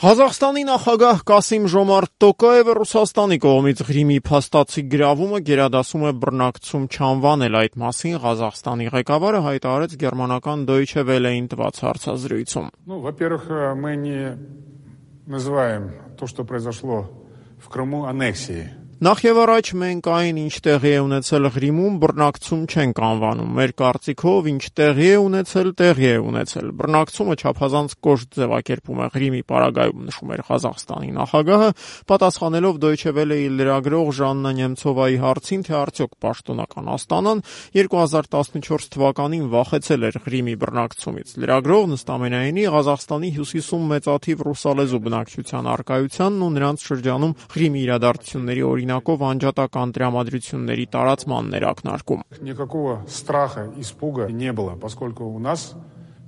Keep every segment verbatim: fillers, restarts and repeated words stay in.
Ղազախստանի նախագահ Կասիմ-Ժոմարտ Տոկաևը Ռուսաստանի կողմից Ղրիմի փաստացի գրավումը գերադասում է բռնակցում չանվանել, այդ մասին Ղազախստանի ղեկավարը հայտարարեց գերմանական Deutsche Welle-ին տված հարցազրույցում. Ну, во-первых, мы не называем то, что произошло в Крыму, аннексией. Նախ եւ առաջ մենք այն, ինչ տեղի է ունեցել Ղրիմում, բռնակցում չենք անվանում։ Մեր կարծիքով, ինչ տեղի է ունեցել, տեղի է ունեցել։ Բռնակցումը չափազանց կոշտ ձևակերպում է Ղրիմի պարագայում, նշում էր Ղազախստանի նախագահը, պատասխանելով Deutsche Welle-ի լրագրող Ժաննա Նեմցովայի հարցին, թե արդյոք պաշտոնական Աստանան երկու հազար տասնչորս թվականին վախեցել էր Ղրիմի բռնակցումից։ Լրագրողն ըստ ամենայնի Ղազախստանի հյուսիսում մեծաթիվ ռուսալեզու բնակչության առկայությանն ու նրանց շրջանում Ղրիմի իրադարձությունների օրինակ անջատական տրամադրությունների տարածմանն էր ակնարկում. Никакого страха, испуга не было, поскольку у нас,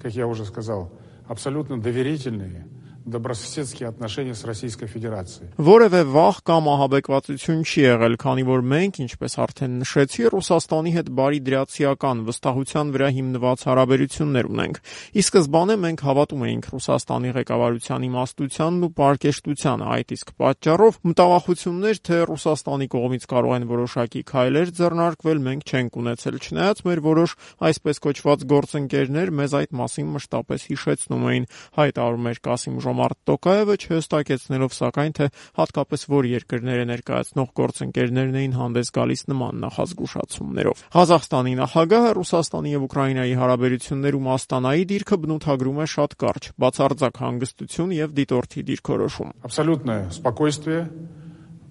как я уже сказал, абсолютно доверительные, добрососедские отношения с Российской Федерацией. Որևէ վախ կամ ահաբեկվածություն չի եղել, քանի որ մենք, ինչպես արդեն նշեցի, Ռուսաստանի հետ բարի դրացիական վստահության վրա հիմնված հարաբերություններ ունենք։ Ի սկզբանե մենք հավատում էինք Ռուսաստանի ղեկավարության իմաստությանն ու պարկեշտությանը, այդ իսկ պատճառով մտավախություններ, թե Ռուսաստանի կողմից կարող են որոշակի քայլեր ձեռնարկվել, մենք չենք ունեցել, չնայած մեր որոշ այսպես կոչված գործընկերներ մեզ այդ մասին մշտապես հիշեցնում էին, հայտարարում էր Կասիմ Ժոմարտ Տոկաևը, չհստակեցնելով սակայն, թե հատկապես որ երկրները ներկայացնող գործընկերներն էին հանդես գալիս նման նախազգուշացումներով։ Ղազախստանի նախագահը Ռուսաստանի եւ Ուկրաինայի հարաբերություններում Աստանայի դիրքը բնութագրում է շատ կարճ, բացարձակ հանգստություն եւ դիտորդի դիրքորոշում։ Абсолютное спокойствие,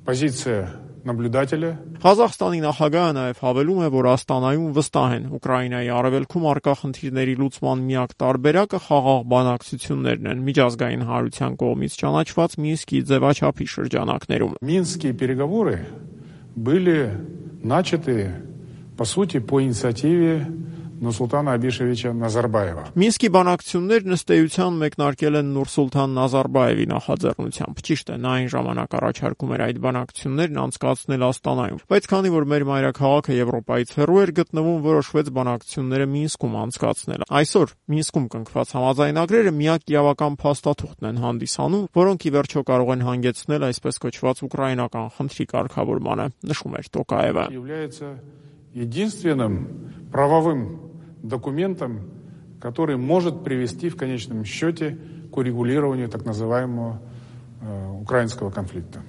позиция наблюдателя. Ղազախստանի նախագահը նաև հավելում է, որ Աստանայում վստահ են Ուկրաինայի արևելքում առկա խնդիրների լուծման միակ տարբերակը խաղաղ բանակցություններն են միջազգային հանրության կողմից ճանաչված Մինսկի ձևաչափի շրջանակներում։ Минские переговоры были начаты, по сути, по инициативе Նուրսուլտան Աբիշևիչа Նազարբաևա։ Մինսկի բանակցություններն ըստ էության մեկնարկել են Նուրսուլտան Նազարբաևի նախաձեռնությամբ։ Ճիշտ է, նա այն ժամանակ առաջարկում էր այդ բանակցություններն անցկացնել Աստանայում, բայց քանի որ մեր մայրաքաղաքը Եվրոպայից հեռու էր գտնվում, որոշվեց բանակցությունները Մինսկում անցկացնել։ Այսօր Մինսկում կնքված համաձայնագրերը միակ իրավական փաստաթուղթն են հանդիսանում, որոնք ի վերջո կարող են հանգեցնել այսպես կոչված ուկրաինական խնդրի կարգավորմանը, նշում էր Տոկաևը։ Единственным правовым документом, который может привести в конечном счете к урегулированию так называемого э, украинского конфликта.